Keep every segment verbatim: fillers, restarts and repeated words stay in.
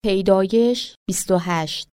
پیدایش بیست و هشت.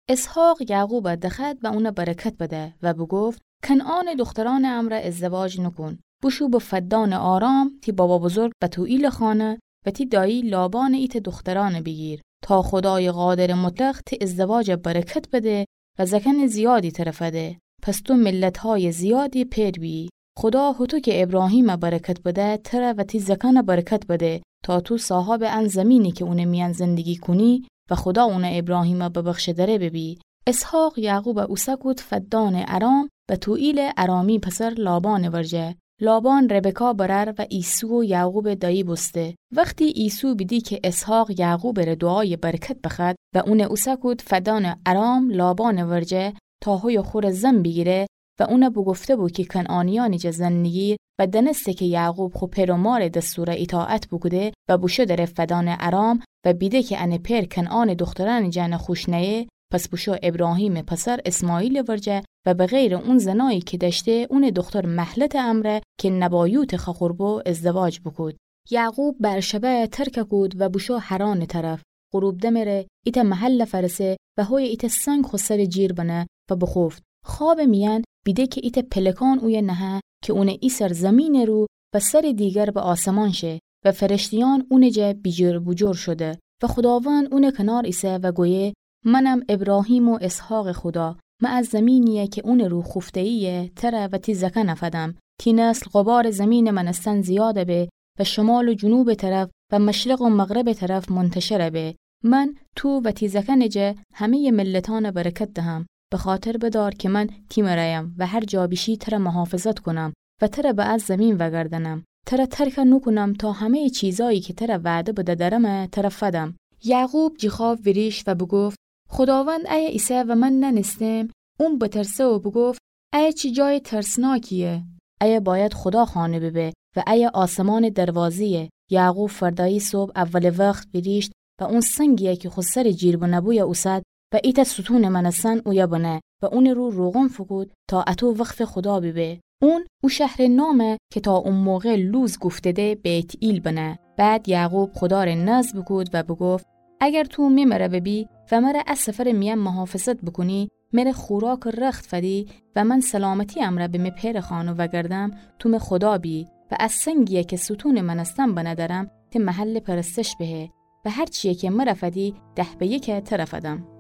اسحاق یعقوبَ دخوأد و اونَ برکت بده و بوگفت: کنعانٚ دوخترأنٚ امرأ ازدواج نوکون. بوشو به فدانٚ آرام، تی بابا بزرگ بتوئیلٚ خانه و تی دایی لابانٚ ایتأ دوخترأنَ بیگیر، تا خودایٚ قادرٚ مطلق تی ازدواجَ برکت بده و زأکأنٚ زیادی تره فده. پس تو ملت‌هایٚ زیادی پئر بیی. خودا هوطو کی ابراهیمَ برکت بده، تره و تی زأکأنَ برکت بده، تا تو صاحابٚ ان زمینی کی اونٚ میأن زندگی کونی و خودا اونَ ابراهیمَ ببخشه دره ببی. اسحاق یعقوبَ اوسه کود فدانٚ ارام، بتوئیلٚ ارامی پسر لابانٚ ورجه. لابان ربکا برأر و عیسو و یعقوبٚ دایی بوسته. وختی عیسو بیدی کی اسحاق یعقوبٚ ره دوعایٚ برکت بخوأد و اونَ اوسه کود فدانٚ ارام لابانٚ ورجه، تا هویٚ خوره زن بیگیره و اونَ بوگفته‌بو کی کنعانیأنی جا زن نیگیر و دأنسته کی یعقوب خو پئر و مارٚ دستورَ ایطاعت بوکوده و بوشو دره فدانٚ ارام و بیده کی انٚ پئر کنعانٚ دوخترأنٚ جأنَ خوش نأیه، پس بوشو ابراهیمٚ پسر اسماعیلٚ ورجه و به غیرٚ اون زنایی کی دأشته، اونٚ دوختر مهلتٚ امرأ کی نبایوتٚ خوأخور بو، ازدواج بوکود. یعقوب بئرشبه‌یَ ترکَ کود و بوشو حرانٚ طرف. غروب دمٚ ره ایتأ محلَ فأرسه و هویه ایتأ سنگ خو سرٚ جیر بنه و بوخوفت. خوابٚ میأن بیده کی ایتأ پلکان اویه نهه کی اونٚ ایسر زمینٚ رو و سرٚ دیگر به آسمان شه و فرشته‌یأن اونٚ جا بیجیر بوجور شده و خوداوند اونٚ کنار ایسه و گویه: منم ابراهیم و اسحاقٚ خودا. من ا زمینی‌یَ کی اونٚ رو خوفته‌یی‌یه، تره و تی زأکأنَ فدم. تی نسل غبارٚ زمینٚ مأنستن زیادَ به و شمال و جنوبٚ طرف و مشرق و مغربٚ طرف منتشرَ به. من تو و تی زأکأنٚ جا همه‌یٚ ملتأنَ برکت دهم. بخاطر بدار کی من تی مرأیم و هر جا بیشی تره محافظت کونم و تره به ا زمین وأگردأنم. تره ترکَ نوکونم تا همه‌یٚ چیزأیی کی تره وعده بده درمه، تره فدم. یعقوب جٚه خواب ویریشت و بوگفت: خوداوند ایه ایسه و من نأنستم؟ اون بترسه و بوگفت: ایه چی جایٚ ترسناکی‌یه؟ ایه بأید خودا خانه ببه و ایه آسمانٚ دروازه‌یه. یعقوب فردایی صبح اولٚ وخت ویریشت و اون سنگی‌یَ کی خو سرٚ جیر بنه‌بویَ اوسد و ایتأ ستونٚ مأنستن اویه بنه و اونٚ رو روغن فوکود تا اطو وقفٚ خودا بیبه. اون او شهرٚ نامَ کی تا او موقع لوز گفته‌ده، بیت‌ایل بنه. بعد یعقوب خودا ره نذر بوکود و بوگفت: اگر تو می مره ببی و مره ا سفرٚ میأن محافظت بوکونی، مره خوراکٚ رخت فدی و من سلامتی امرأ به می پئرٚ خانه وأگردم، تو می خودا بی و ا سنگی‌یَ کی ستونٚ مأنستن بنه درم، تی محلٚ پرستش بهه و هر چی‌یَ کی مره فدی، ده به یکَ تره فدم.